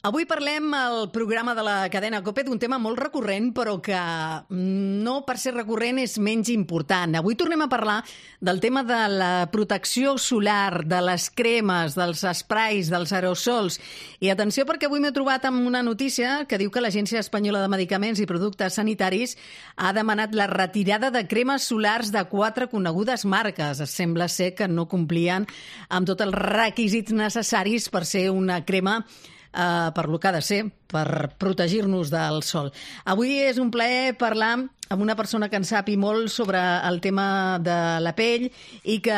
Avui parlem al programa de la cadena COPE d'un tema molt recurrent, però que no per ser recurrent és menys important. Avui tornem a parlar del tema de la protecció solar, de les cremes, dels esprais, dels aerosols. I atenció, perquè avui m'he trobat amb una notícia que diu que l'Agència Espanyola de Medicaments i Productes Sanitaris ha demanat la retirada de cremes solars de 4 conegudes marques. Sembla ser que no complien amb tots els requisits necessaris per ser una crema per lo que ha de ser, per protegir-nos del sol. Avui és un plaer parlar amb una persona que en sapi molt sobre el tema de la pell i que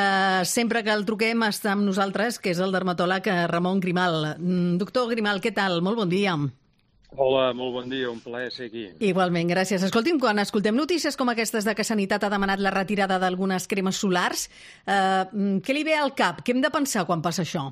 sempre que el truquem està amb nosaltres, que és el dermatòleg Ramon Grimal. Doctor Grimal, què tal? Molt bon dia. Hola, molt bon dia, un plaer ser aquí. Igualment, gràcies. Escolti'm, quan escoltem notícies com aquestes de que Sanitat ha demanat la retirada d'algunes cremes solars, què li ve al cap? Què hem de pensar quan passa això?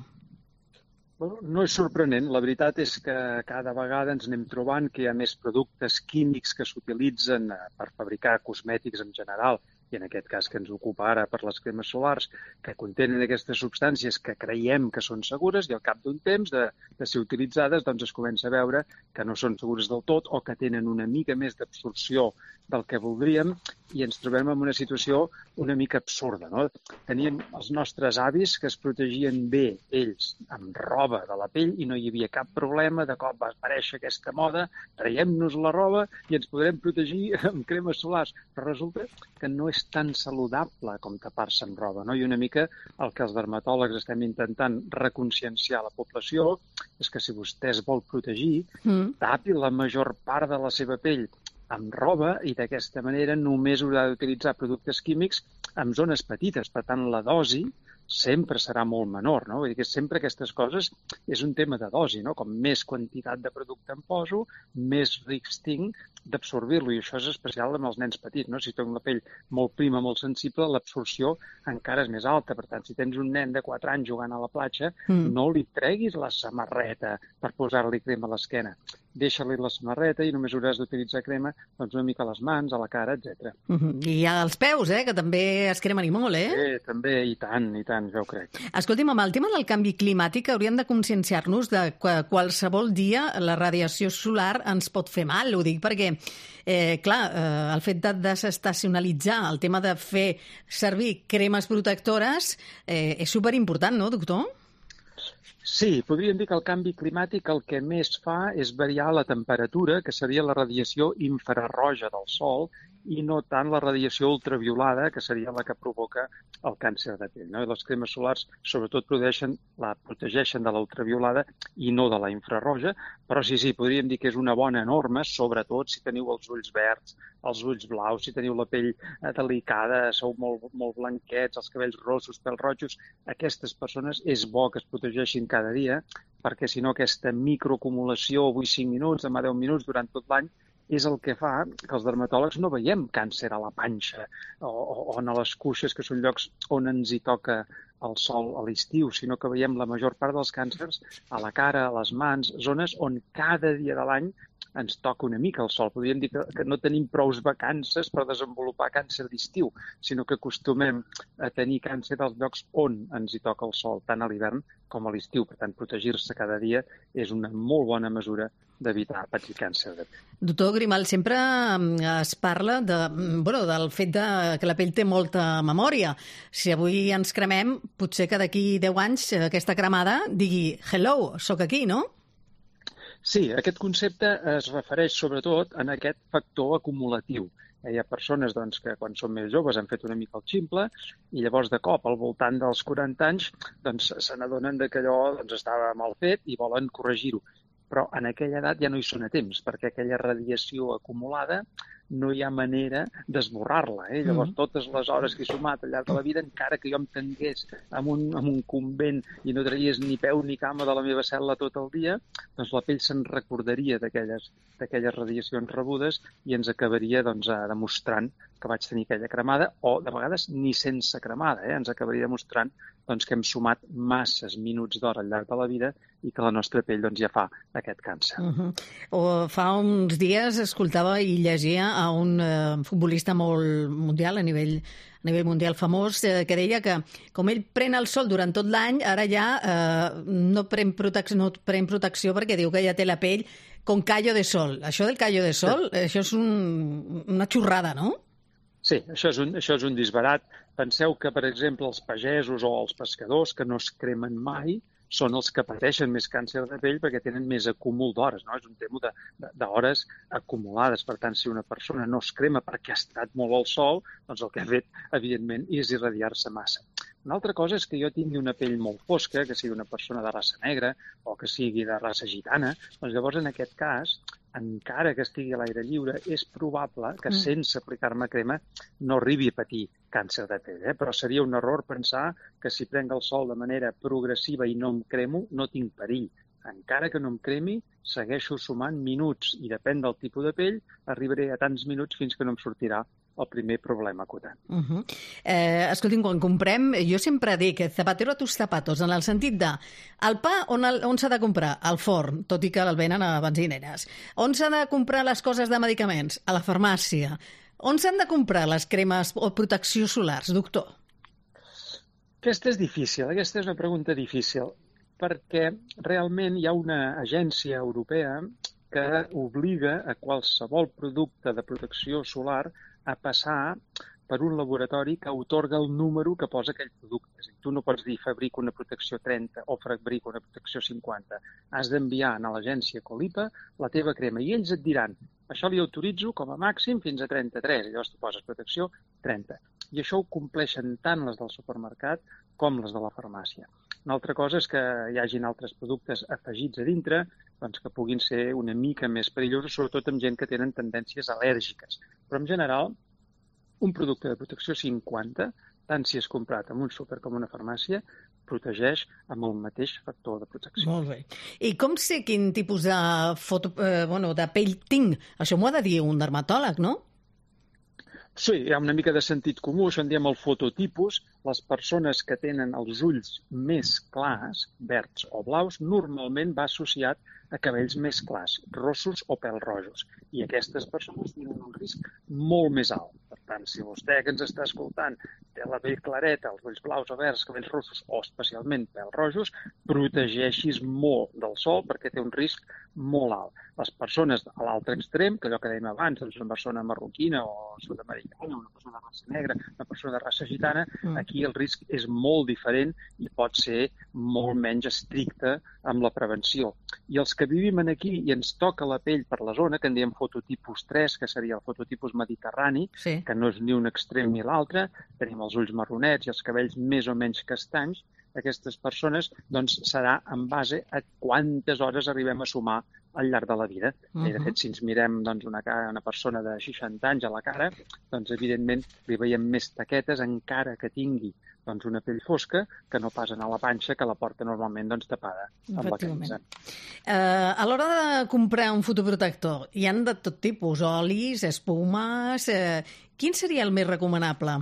No és sorprenent. La veritat és que cada vegada ens anem trobant que hi ha més productes químics que s'utilitzen per fabricar cosmètics en general, i en aquest cas que ens ocupa ara per les cremes solars, que contenen aquestes substàncies que creiem que són segures i al cap d'un temps de ser utilitzades doncs es comença a veure que no són segures del tot o que tenen una mica més d'absorció del que voldríem i ens trobem en una situació una mica absurda, no? Teníem els nostres avis que es protegien bé ells amb roba de la pell i no hi havia cap problema, de cop va aparèixer aquesta moda, traiem-nos la roba i ens podrem protegir amb cremes solars, però resulta que no és tan saludable com tapar-se amb roba, no? I una mica el que els dermatòlegs estem intentant reconscienciar a la població és que si vostè es vol protegir, tapi la major part de la seva pell amb roba i d'aquesta manera només haurà d'utilitzar productes químics en zones petites. Per tant, la dosi sempre serà molt menor, no? Vull dir que sempre aquestes coses és un tema de dosi, no? Com més quantitat de producte em poso, més risc tinc d'absorbir-lo, i això és especial amb els nens petits, no? Si tens la pell molt prima, molt sensible, l'absorció encara és més alta. Per tant, si tens un nen de 4 anys jugant a la platja, no li treguis la samarreta per posar-li crema a l'esquena. Deixa-li la samarreta i només hauràs d'utilitzar crema doncs una mica a les mans, a la cara, etc. I als peus, que també es cremen i molt, També, i tant, ja ho crec. Escolti'm, amb el tema del canvi climàtic hauríem de conscienciar-nos de que qualsevol dia la radiació solar ens pot fer mal. Ho dic perquè, el fet de desestacionalitzar, el tema de fer servir cremes protectores és superimportant, no, doctor? Sí, podríem dir que el canvi climàtic el que més fa és variar la temperatura, que seria la radiació infrarroja del Sol, i no tant la radiació ultraviolada, que seria la que provoca el càncer de pell, no? I les cremes solars sobretot protegeixen de la ultraviolada i no de la infrarroja, però sí, podríem dir que és una bona norma, sobretot si teniu els ulls verds, els ulls blaus, si teniu la pell delicada, sou molt blanquets, els cabells rossos, pèls rojos, aquestes persones és bo que es protegeixin cada dia, perquè si no aquesta microacumulació, avui 5 minuts, demà 10 minuts, durant tot l'any, és el que fa que els dermatòlegs no veiem càncer a la panxa o a les cuixes, que són llocs on ens hi toca el sol a l'estiu, sinó que veiem la major part dels càncers a la cara, a les mans, zones on cada dia de l'any ens toca una mica el sol. Podríem dir que no tenim prous vacances per desenvolupar càncer d'estiu, sinó que acostumem a tenir càncer als llocs on ens hi toca el sol, tant a l'hivern com a l'estiu. Per tant, protegir-se cada dia és una molt bona mesura d'evitar patir càncer de pell. Doctor Grimal, sempre es parla del fet que la pell té molta memòria. Si avui ens cremem, potser que d'aquí 10 anys aquesta cremada digui «Hello, sóc aquí», no? Sí, aquest concepte es refereix sobretot en aquest factor acumulatiu. Hi ha persones que quan són més joves han fet una mica el ximple i llavors de cop al voltant dels 40 anys se n'adonen que allò estava mal fet i volen corregir-ho. Però en aquella edat ja no hi són a temps, perquè aquella radiació acumulada no hi ha manera d'esborrar-la. Llavors, totes les hores que he sumat al llarg de la vida, encara que jo em tangués en un convent i no traies ni peu ni cama de la meva cel·la tot el dia, doncs la pell se'n recordaria d'aquelles radiacions rebudes i ens acabaria demostrant que vaig tenir aquella cremada, o de vegades ni sense cremada. Ens acabaria demostrant que hem sumat masses minuts d'hora al llarg de la vida i que la nostra pell ja fa aquest càncer. Fa uns dies escoltava i llegia a un futbolista molt mundial, a nivell mundial famós, que deia que com ell pren el sol durant tot l'any, ara ja no pren protecció perquè diu que ja té la pell con callo de sol. Això del callo de sol, això és una xorrada, no? Sí, això és un disbarat. Penseu que, per exemple, els pagesos o els pescadors que no es cremen mai són els que pateixen més càncer de pell perquè tenen més acúmul d'hores, no? És un tema d'hores acumulades. Per tant, si una persona no es crema perquè ha estat molt al sol, doncs el que ha fet, evidentment, és irradiar-se massa. Una altra cosa és que jo tingui una pell molt fosca, que sigui una persona de raça negra o que sigui de raça gitana, doncs llavors en aquest cas, encara que estigui a l'aire lliure, és probable que sense aplicar-me crema no arribi a patir càncer de pell. Però seria un error pensar que si prenc el sol de manera progressiva i no em cremo, no tinc perill. Encara que no em cremi, segueixo sumant minuts i depèn del tipus de pell, arribaré a tants minuts fins que no em sortirà el primer problema acotant. Escolti'm, quan comprem, jo sempre dic zapatero a tus zapatos, en el sentit de el pa on s'ha de comprar? Al forn, tot i que el venen a benzineres. On s'ha de comprar les coses de medicaments? A la farmàcia. On s'han de comprar les cremes o protecció solars, doctor? Aquesta és difícil, aquesta és una pregunta difícil, perquè realment hi ha una agència europea que obliga a qualsevol producte de protecció solar a passar per un laboratori que atorga el número que posa aquell producte. És a dir, tu no pots dir fabrico una protecció 30 o fabrico una protecció 50. Has d'enviar a l'agència Colipa la teva crema i ells et diran això li autoritzo com a màxim fins a 33, i llavors tu poses protecció 30. I això ho compleixen tant les del supermercat com les de la farmàcia. Una altra cosa és que hi hagin altres productes afegits a dintre doncs que puguin ser una mica més perillosos, sobretot amb gent que tenen tendències al·lèrgiques. Però en general, un producte de protecció 50, tant si és comprat en un súper com en una farmàcia, protegeix amb el mateix factor de protecció. Molt bé. I com sé quin tipus de pell tinc? Això m'ho ha de dir un dermatòleg, no? Sí, hi ha una mica de sentit comú, això en diem el fototipus. Les persones que tenen els ulls més clars, verds o blaus, normalment va associat a cabells més clars, rossos o pèl rojos. I aquestes persones tenen un risc molt més alt. Per tant, si vostè que ens està escoltant té la pell clareta, els ulls blaus o verds, cabells rossos o especialment pèl rojos, protegeixis molt del sol perquè té un risc molt alt. Les persones a l'altre extrem, que allò que dèiem abans, doncs una persona marroquina o sud-americana, una persona de raça negra, una persona de raça gitana, aquí el risc és molt diferent i pot ser molt menys estricte amb la prevenció. I els que vivim aquí i ens toca la pell per la zona, que en diem fototipus 3, que seria el fototipus mediterrani, sí, que no és ni un extrem ni l'altre, tenim els ulls marronets i els cabells més o menys castanys, aquestes persones doncs, serà en base a quantes hores arribem a sumar al llarg de la vida. I, de fet, si ens mirem doncs, una persona de 60 anys a la cara, doncs, evidentment, li veiem més taquetes encara que tingui doncs, una pell fosca que no pas a la panxa, que la porta normalment doncs, tapada amb la camisa. A l'hora de comprar un fotoprotector, hi han de tot tipus, olis, espumes... Quin seria el més recomanable?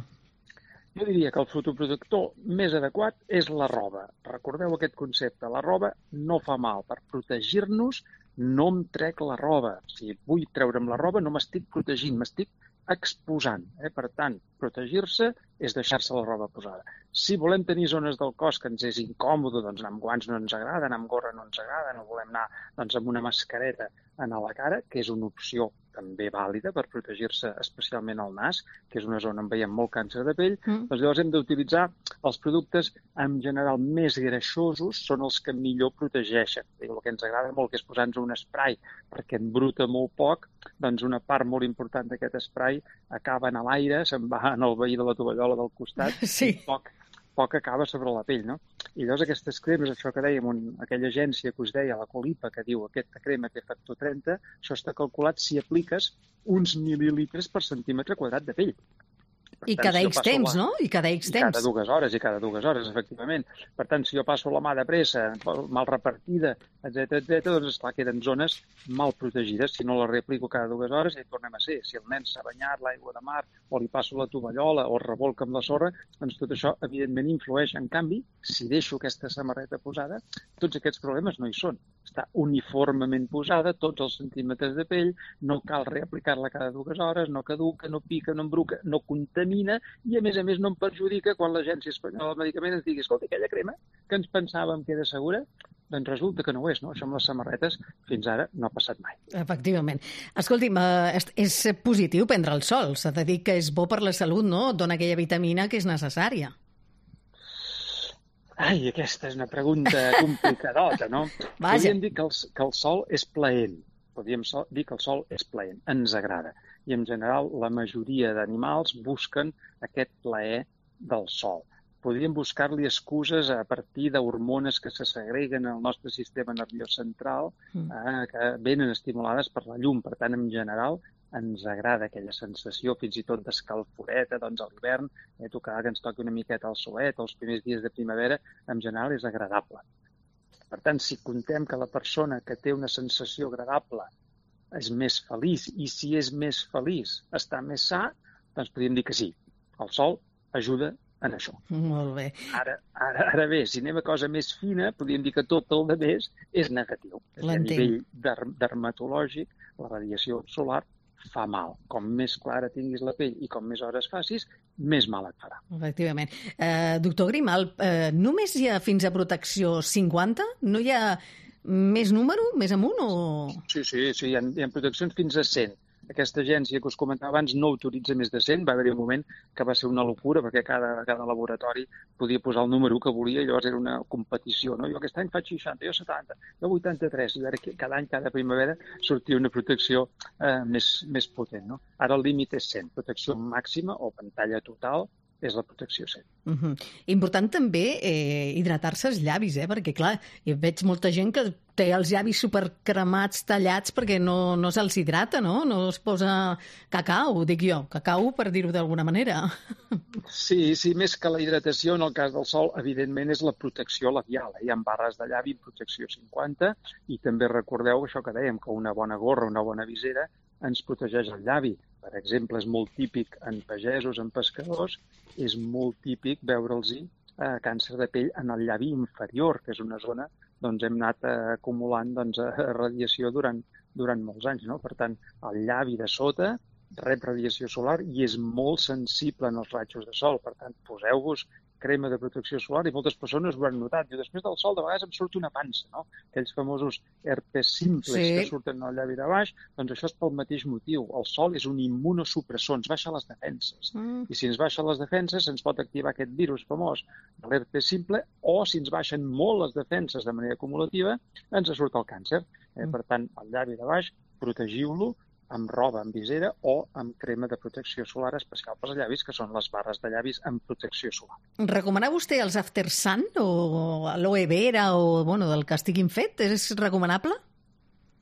Jo diria que el fotoprotector més adequat és la roba. Recordeu aquest concepte. La roba no fa mal. Per protegir-nos no em trec la roba. Si vull treure'm la roba no m'estic protegint, m'estic exposant. Per tant, protegir-se és deixar-se la roba posada. Si volem tenir zones del cos que ens és incòmode, doncs anar amb guants no ens agrada, anar amb gorra no ens agrada, no volem anar doncs, amb una mascareta a la cara, que és una opció també vàlida per protegir-se especialment al nas, que és una zona on veiem molt càncer de pell, doncs llavors hem d'utilitzar els productes en general més greixosos, són els que millor protegeixen. El que ens agrada molt que és posar-nos un spray perquè embruta molt poc, doncs una part molt important d'aquest spray acaba en l'aire, se'n va en el veí de la tovallola del costat, sí, i poc acaba sobre la pell, no? I llavors aquestes cremes, això que dèiem, aquella agència que us deia, la Colipa, que diu aquesta crema té factor 30, això està calculat si apliques uns mil·lilitres per centímetre quadrat de pell. I cada X temps, no? I cada X temps. I cada dues hores, efectivament. Per tant, si jo passo la mà de pressa, mal repartida, etc, doncs, esclar, queden zones mal protegides. Si no la reaplico cada 2 hores, ja hi tornem a ser. Si el nen s'ha banyat l'aigua de mar, o li passo la tovallola, o es revolca amb la sorra, doncs tot això, evidentment, influeix. En canvi, si deixo aquesta samarreta posada, tots aquests problemes no hi són. està uniformement posada, tots els centímetres de pell, no cal reaplicar-la cada 2 hores, no caduca, no pica, no embruca, no contamina i, a més, no em perjudica quan l'Agència Espanyola del Medicament ens digui escolta, aquella crema que ens pensàvem que era segura, doncs resulta que no ho és, no? Això amb les samarretes fins ara no ha passat mai. Efectivament. Escolti'm, és positiu prendre el sol. S'ha de dir que és bo per la salut, no? Dona aquella vitamina que és necessària. Ai, aquesta és una pregunta complicadota, no? Podríem dir que el sol és plaent. Podríem dir que el sol és plaent, ens agrada. I en general la majoria d'animals busquen aquest plaer del sol. Podríem buscar-li excuses a partir d'hormones que se segreguen al nostre sistema nerviós central, que venen estimulades per la llum. Per tant, en general, ens agrada aquella sensació, fins i tot d'escalforeta, doncs a l'hivern, tocar que ens toqui una miqueta el solet, els primers dies de primavera, en general és agradable. Per tant, si contem que la persona que té una sensació agradable és més feliç, i si és més feliç està més sa, doncs podríem dir que sí, el sol ajuda en això. Molt bé. Ara bé, si anem a cosa més fina, podríem dir que tot el de més és negatiu. A nivell dermatològic, la radiació solar fa mal. Com més clara tinguis la pell i com més hores facis, més mal et farà. Efectivament. Doctor Grimal, només hi ha fins a protecció 50? No hi ha més número, més amunt? Sí, hi ha proteccions fins a 100. Aquesta agència que us comentava abans no autoritza més de 100. Va haver-hi un moment que va ser una locura perquè cada laboratori podia posar el número que volia i llavors era una competició. No? Jo aquest any faig 60, jo 70, jo 83. I ara cada any, cada primavera, sortia una protecció més potent. No? Ara el límit és 100. Protecció màxima o pantalla total és la protecció 100. Important també hidratar-se els llavis, perquè clar, jo veig molta gent que té els llavis supercremats, tallats, perquè no se'ls hidrata, no? No es posa cacau, dic jo, cacau per dir-ho d'alguna manera. Sí, més que la hidratació, en el cas del sol, evidentment és la protecció labial. Hi ha barres de llavi amb protecció 50 i també recordeu això que dèiem, que una bona gorra, una bona visera ens protegeix el llavi. Per exemple, és molt típic en pagesos, en pescadors, és molt típic veure'ls càncer de pell en el llavi inferior, que és una zona on hem anat acumulant radiació durant molts anys. No? Per tant, el llavi de sota rep radiació solar i és molt sensible en els rajos de sol. Per tant, poseu-vos crema de protecció solar i moltes persones ho han notat. Després del sol de vegades em surt una pansa, no? Aquells famosos herpes simples que surten al llavi de baix, doncs això és pel mateix motiu. El sol és un immunosupressor, ens baixa les defenses. I si ens baixa les defenses ens pot activar aquest virus famós de l'herpes simple o si ens baixen molt les defenses de manera acumulativa ens surt el càncer. Per tant, el llavi de baix, protegiu-lo amb roba, amb visera o amb crema de protecció solar especial pels llavis, que són les barres de llavis amb protecció solar. Recomana vostè els After Sun o l'aloe vera o del que estiguin fet? És recomanable?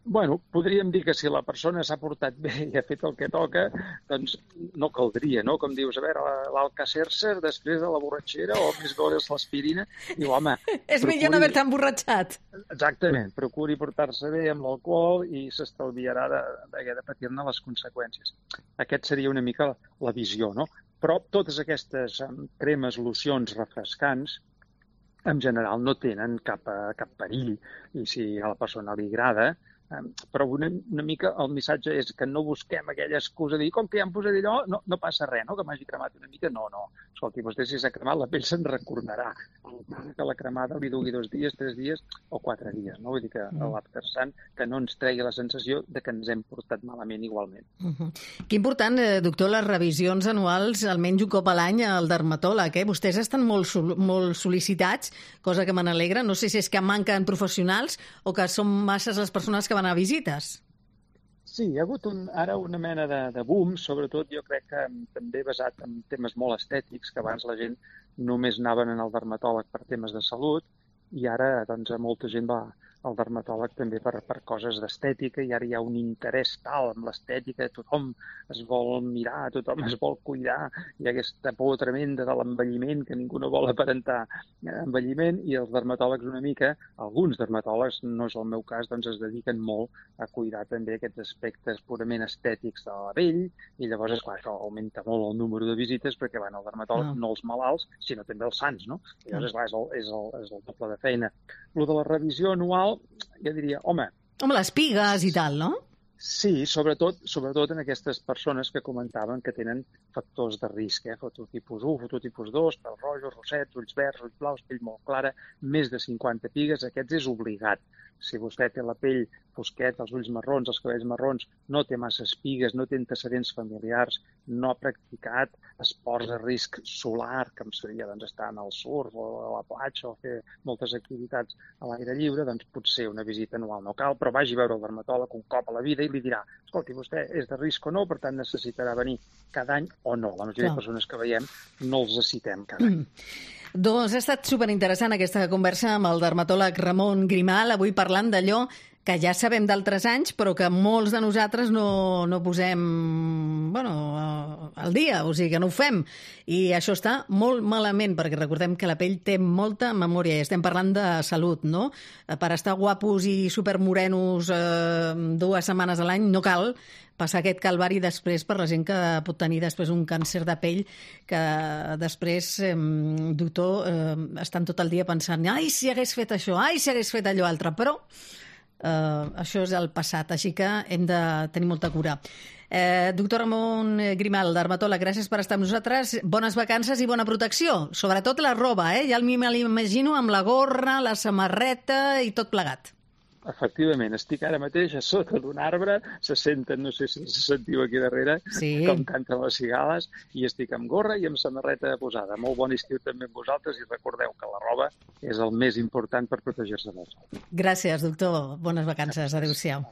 Bueno, podríem dir que si la persona s'ha portat bé i ha fet el que toca, doncs no caldria, no? Com dius, a veure, l'Alka-Seltzer després de la borratxera o més bo és l'aspirina. Diu, home... És millor no haver-te emborratxat. Exactament. Procuri portar-se bé amb l'alcohol i s'estalviarà de patir-ne les conseqüències. Aquest seria una mica la visió, no? Però totes aquestes cremes, locions refrescants, en general no tenen cap perill. I si a la persona li agrada, però una mica el missatge és que no busquem aquella excusa de dir com que ja em posaré allò, no passa res, no? Que m'hagi cremat una mica. No. Escolti, vostè si s'ha cremat, la pell se'n recordarà. Que la cremada li dugui 2 dies, 3 dies o 4 dies. No? Vull dir que l'After Sun que no ens tregui la sensació de que ens hem portat malament igualment. Que important, doctor, les revisions anuals, almenys un cop a l'any al dermatòleg. Vostès estan molt sol·licitats, cosa que me n'alegra. No sé si és que manquen professionals o que són masses les persones que van a visites. Sí, hi ha hagut ara una mena de boom, sobretot jo crec que també basat en temes molt estètics, que abans la gent només anaven al dermatòleg per temes de salut i ara doncs molta gent va al dermatòleg també per coses d'estètica i ara hi ha un interès tal en l'estètica, tothom es vol mirar, tothom es vol cuidar, hi ha aquesta por tremenda de l'envelliment que ningú no vol aparentar envelliment i els dermatòlegs una mica, alguns dermatòlegs, no és el meu cas, doncs es dediquen molt a cuidar també aquests aspectes purament estètics de la pell i llavors, esclar, això augmenta molt el número de visites perquè van al dermatòleg no els malalts, sinó també els sans, no? I llavors, esclar, és el doble de feina. Lo de la revisió anual final, jo diria, home, les pigues i tal, no? sí, sobretot en aquestes persones que comentaven que tenen factors de risc, fototipus 1, fototipus 2, pèl rojos, rossets, ulls verds, ulls blaus, pell molt clara, més de 50 pigues, aquests és obligat. Si vostè té la pell fosqueta, els ulls marrons, els cabells marrons, no té massa espigues, no té antecedents familiars, no ha practicat esports de risc solar, que seria estar en el surf o a la platja o fer moltes activitats a l'aire lliure, doncs potser una visita anual no cal, però vagi a veure el dermatòleg un cop a la vida i li dirà, escolti, vostè és de risc o no, per tant necessitarà venir cada any o no. La majoria de persones que veiem no els citem cada any. Doncs ha estat superinteressant aquesta conversa amb el dermatòleg Ramon Grimal, avui parlant d'allò que ja sabem d'altres anys, però que molts de nosaltres no posem al dia, o sigui que no ho fem. I això està molt malament, perquè recordem que la pell té molta memòria, i estem parlant de salut, no? Per estar guapos i supermorenos 2 setmanes a l'any no cal passar aquest calvari després per la gent que pot tenir després un càncer de pell que després, doctor, estan tot el dia pensant ai, si hagués fet això, ai, si hagués fet allò altre, però això és el passat, així que hem de tenir molta cura. Doctor Ramon Grimal, dermatòleg, gràcies per estar amb nosaltres. Bones vacances i bona protecció. Sobretot la roba, ja me l'imagino amb la gorra, la samarreta i tot plegat. Efectivament, estic ara mateix a sota d'un arbre, se senten, no sé si se sentiu aquí darrere, com canten les cigales, i estic amb gorra i amb samarreta posada. Molt bon estiu també amb vosaltres i recordeu que la roba és el més important per protegir-se del sol. Gràcies, doctor. Bones vacances. Adéu-siau.